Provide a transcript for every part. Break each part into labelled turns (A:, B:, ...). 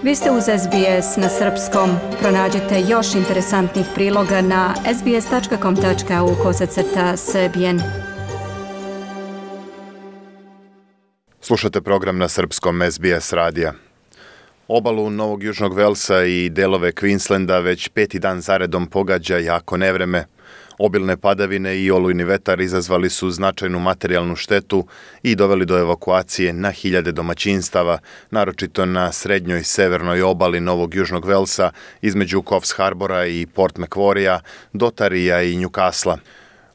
A: Vi ste uz SBS na srpskom. Pronađite još interesantnih priloga na sbs.com.au/srbijen.
B: Slušate program na srpskom SBS radija. Obalu Novog Južnog Velsa i delove Queenslanda već 5. dan zaredom pogađa jako nevreme. Obilne padavine i olujni vetar izazvali su značajnu materijalnu štetu i doveli do evakuacije na hiljade domaćinstava, naročito na srednjoj severnoj obali Novog Južnog Velsa između Coffs Harbora i Port Macquaria, do Tarija i Newcastle.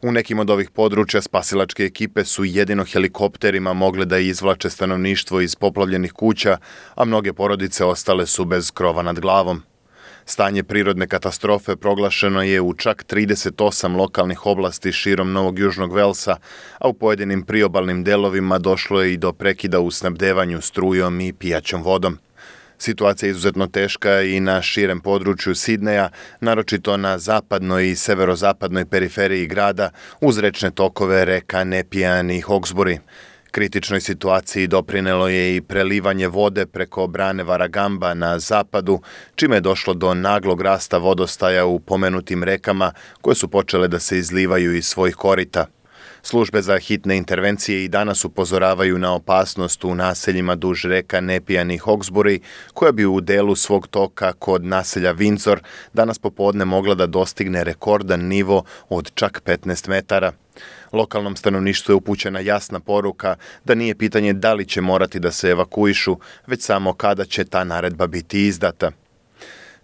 B: U nekim od ovih područja spasilačke ekipe su jedino helikopterima mogle da izvlače stanovništvo iz poplavljenih kuća, a mnoge porodice ostale su bez krova nad glavom. Stanje prirodne katastrofe proglašeno je u čak 38 lokalnih oblasti širom Novog Južnog Velsa, a u pojedinim priobalnim delovima došlo je i do prekida u snabdevanju strujom i pijaćom vodom. Situacija je izuzetno teška i na širem području Sidneja, naročito na zapadnoj i severozapadnoj periferiji grada, uz rečne tokove reka Nepean i Hawkesbury. Kritičnoj situaciji doprinelo je i prelivanje vode preko brane Warragamba na zapadu, čime je došlo do naglog rasta vodostaja u pomenutim rekama koje su počele da se izlivaju iz svojih korita. Službe za hitne intervencije i danas upozoravaju na opasnost u naseljima duž reka Nepean i Hawkesbury, koja bi u delu svog toka kod naselja Windsor danas popodne mogla da dostigne rekordan nivo od čak 15 metara. Lokalnom stanovništvu je upućena jasna poruka da nije pitanje da li će morati da se evakuišu, već samo kada će ta naredba biti izdata.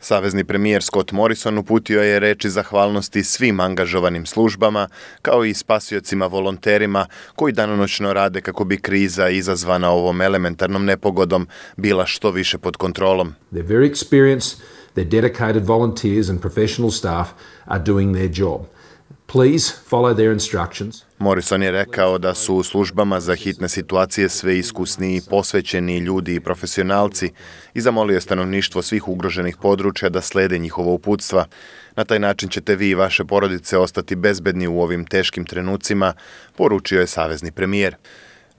B: Savezni premijer Scott Morrison uputio je reči zahvalnosti svim angažovanim službama, kao i spasiocima volonterima koji danonoćno rade kako bi kriza izazvana ovom elementarnom nepogodom bila što više pod kontrolom.
C: They're very experienced, their dedicated volunteers and professional staff are doing their job. Please follow their instructions.
B: Morrison je rekao da su u službama za hitne situacije sve iskusniji i posvećeni ljudi i profesionalci i zamolio je stanovništvo svih ugroženih područja da slede njihova uputstva. Na taj način ćete vi i vaše porodice ostati bezbedni u ovim teškim trenucima, poručio je savezni premijer.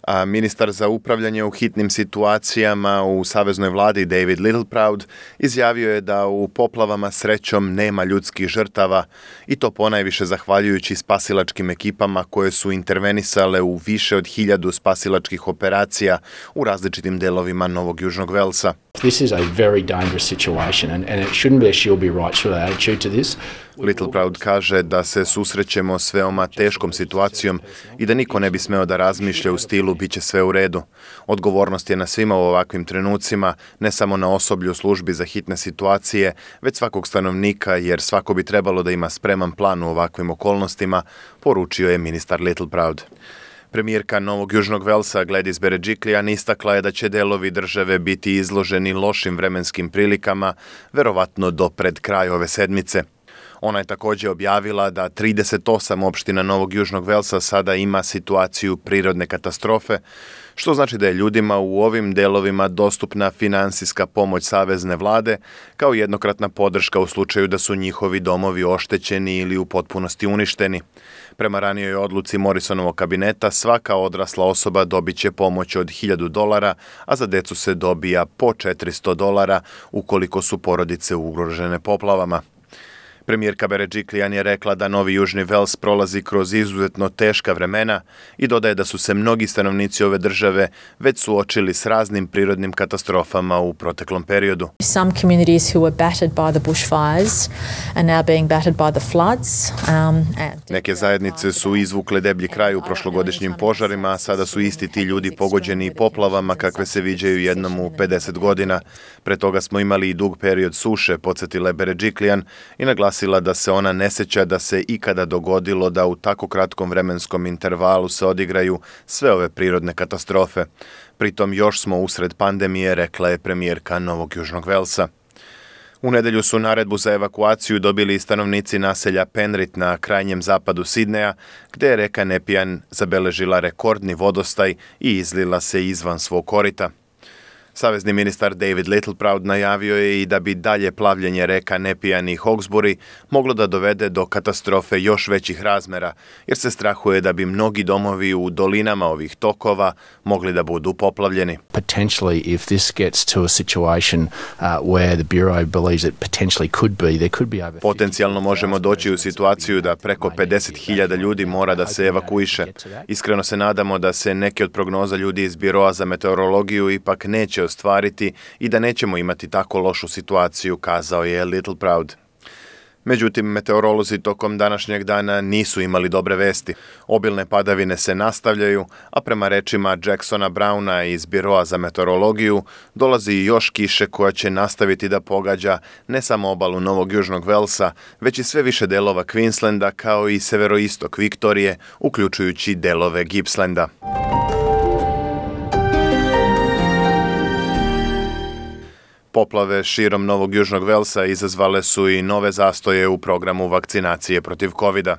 B: A ministar za upravljanje u hitnim situacijama u saveznoj vladi David Littleproud izjavio je da u poplavama srećom nema ljudskih žrtava i to ponajviše zahvaljujući spasilačkim ekipama koje su intervenisale u više od 1000 spasilačkih operacija u različitim delovima Novog Južnog Velsa.
D: This is a very dangerous situation and it shouldn't be a she'll be right sort of attitude to this.
B: Littleproud kaže da se susrećemo s veoma teškom situacijom i da niko ne bi smeo da razmišlja u stilu bit će sve u redu. Odgovornost je na svima u ovakvim trenucima, ne samo na osoblju službi za hitne situacije, već svakog stanovnika, jer svako bi trebalo da ima spreman plan u ovakvim okolnostima, poručio je ministar Littleproud. Premijerka Novog Južnog Velsa Gladys Berejiklian istakla je da će delovi države biti izloženi lošim vremenskim prilikama, verovatno do pred kraj ove sedmice. Ona je također objavila da 38 opština Novog Južnog Velsa sada ima situaciju prirodne katastrofe, što znači da je ljudima u ovim delovima dostupna finansijska pomoć savezne vlade kao jednokratna podrška u slučaju da su njihovi domovi oštećeni ili u potpunosti uništeni. Prema ranijoj odluci Morrisonovog kabineta, svaka odrasla osoba dobit će pomoć od $1000, a za decu se dobija po $400 ukoliko su porodice ugrožene poplavama. Premijerka Berejiklian je rekla da Novi Južni Vels prolazi kroz izuzetno teška vremena i dodaje da su se mnogi stanovnici ove države već suočili s raznim prirodnim katastrofama u proteklom periodu.
E: Some communities who were battered by the bushfires are now being battered by the floods.
B: Neke zajednice su izvukle deblji kraj u prošlogodišnjim požarima, a sada su isti ti ljudi pogođeni i poplavama kakve se viđaju jednom u 50 godina. Pre toga smo imali i dug period suše, podsjetila je Berejiklian i naglasila da se ona ne seća da se ikada dogodilo da u tako kratkom vremenskom intervalu se odigraju sve ove prirodne katastrofe. Pritom još smo usred pandemije, rekla je premijerka Novog Južnog Velsa. U nedelju su naredbu za evakuaciju dobili i stanovnici naselja Penrith na krajnjem zapadu Sidneja, gde je reka Nepean zabeležila rekordni vodostaj i izlila se izvan svog korita. Savezni ministar David Littleproud najavio je i da bi dalje plavljenje reka Nepean i Hawkesbury moglo da dovede do katastrofe još većih razmera, jer se strahuje da bi mnogi domovi u dolinama ovih tokova mogli da budu poplavljeni.
D: Potentially, if this gets to a situation where the Bureau believes it potentially could be, there could be over...
B: Potencijalno možemo doći u situaciju da preko 50.000 ljudi mora da se evakuiše. Iskreno se nadamo da se neke od prognoza ljudi iz Biroa za meteorologiju ipak neće ostvariti i da nećemo imati tako lošu situaciju, kazao je Littleproud. Međutim, meteorolozi tokom današnjeg dana nisu imali dobre vesti. Obilne padavine se nastavljaju, a prema rečima Jacksona Browna iz Biroa za meteorologiju dolazi još kiše koja će nastaviti da pogađa ne samo obalu Novog Južnog Velsa, već i sve više delova Queenslanda kao i severoistok Viktorije, uključujući delove Gippslanda. Poplave širom Novog Južnog Velsa izazvale su i nove zastoje u programu vakcinacije protiv COVID-a.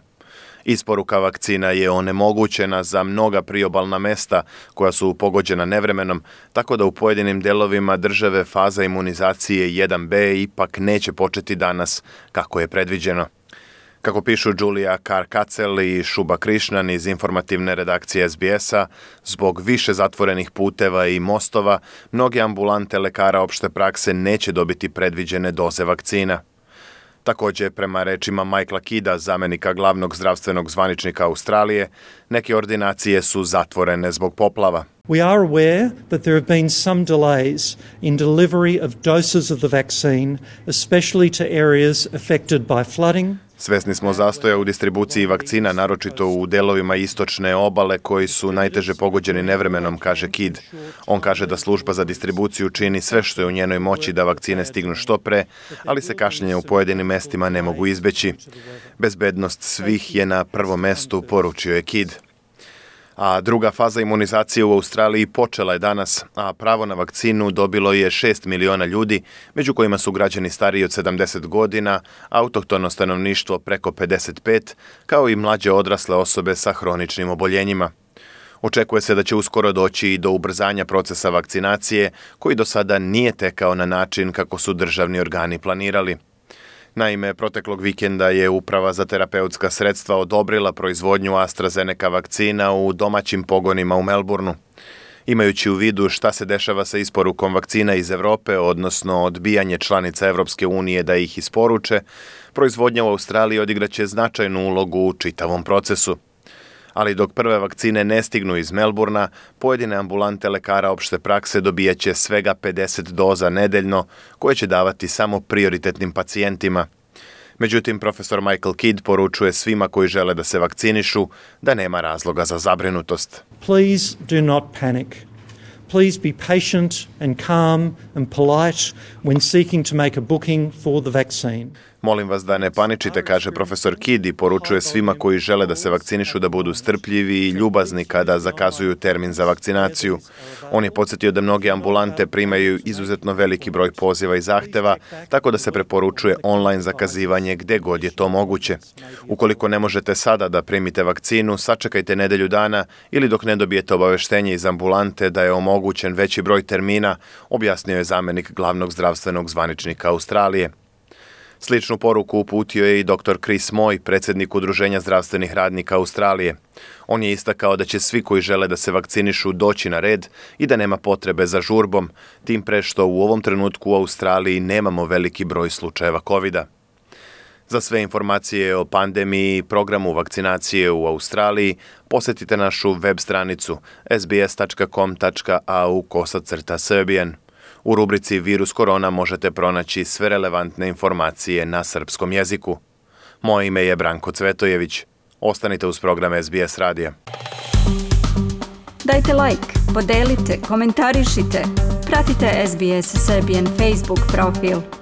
B: Isporuka vakcina je onemogućena za mnoga priobalna mesta koja su pogođena nevremenom, tako da u pojedinim delovima države faza imunizacije 1B ipak neće početi danas kako je predviđeno. Kako pišu Julia Carr-Katzel i Shubha Krishnan iz informativne redakcije SBS-a, zbog više zatvorenih puteva i mostova, mnoge ambulante lekara opšte prakse neće dobiti predviđene doze vakcina. Također, prema rečima Michaela Kida, zamenika glavnog zdravstvenog zvaničnika Australije, neke ordinacije su zatvorene zbog poplava.
F: We are aware that there have been some delays in delivery of doses of the vaccine, especially to areas affected by flooding.
B: Svesni smo zastoja u distribuciji vakcina, naročito u delovima istočne obale koji su najteže pogođeni nevremenom, kaže Kidd. On kaže da služba za distribuciju čini sve što je u njenoj moći da vakcine stignu što pre, ali se kašnjenja u pojedinim mestima ne mogu izbeći. Bezbednost svih je na prvom mestu, poručio je Kidd. A druga faza imunizacije u Australiji počela je danas, a pravo na vakcinu dobilo je 6 miliona ljudi, među kojima su građani stariji od 70 godina, autohtono stanovništvo preko 55, kao i mlađe odrasle osobe sa hroničnim oboljenjima. Očekuje se da će uskoro doći i do ubrzanja procesa vakcinacije, koji do sada nije tekao na način kako su državni organi planirali. Naime, proteklog vikenda je Uprava za terapeutska sredstva odobrila proizvodnju AstraZeneca vakcina u domaćim pogonima u Melbourneu. Imajući u vidu šta se dešava sa isporukom vakcina iz Evrope, odnosno odbijanje članica Evropske unije da ih isporuče, proizvodnja u Australiji odigraće značajnu ulogu u čitavom procesu. Ali dok prve vakcine ne stignu iz Melbournea, pojedine ambulante lekara opšte prakse dobijaće svega 50 doza nedeljno, koje će davati samo prioritetnim pacijentima. Međutim, profesor Michael Kidd poručuje svima koji žele da se vakcinišu da nema razloga za zabrinutost.
F: Please do not panic. Please be patient and calm and polite when seeking to make a booking for the vaccine.
B: Molim vas da ne paničite, kaže profesor Kidd i poručuje svima koji žele da se vakcinišu da budu strpljivi i ljubazni kada zakazuju termin za vakcinaciju. On je podsjetio da mnoge ambulante primaju izuzetno veliki broj poziva i zahteva, tako da se preporučuje online zakazivanje gde god je to moguće. Ukoliko ne možete sada da primite vakcinu, sačekajte nedelju dana ili dok ne dobijete obaveštenje iz ambulante da je omogućen veći broj termina, objasnio je zamenik glavnog zdravstvenog zvaničnika Australije. Sličnu poruku uputio je i dr. Chris Moy, predsjednik Udruženja zdravstvenih radnika Australije. On je istakao da će svi koji žele da se vakcinišu doći na red i da nema potrebe za žurbom, tim pre što u ovom trenutku u Australiji nemamo veliki broj slučajeva COVID-a. Za sve informacije o pandemiji i programu vakcinacije u Australiji posjetite našu web stranicu sbs.com.au/Serbian. U rubrici Virus korona možete pronaći sve relevantne informacije na srpskom jeziku. Moje ime je Branko Cvetojević. Ostanite uz program SBS radija.
A: Dajte like, podelite, komentarišite. Pratite SBS Serbian Facebook profil.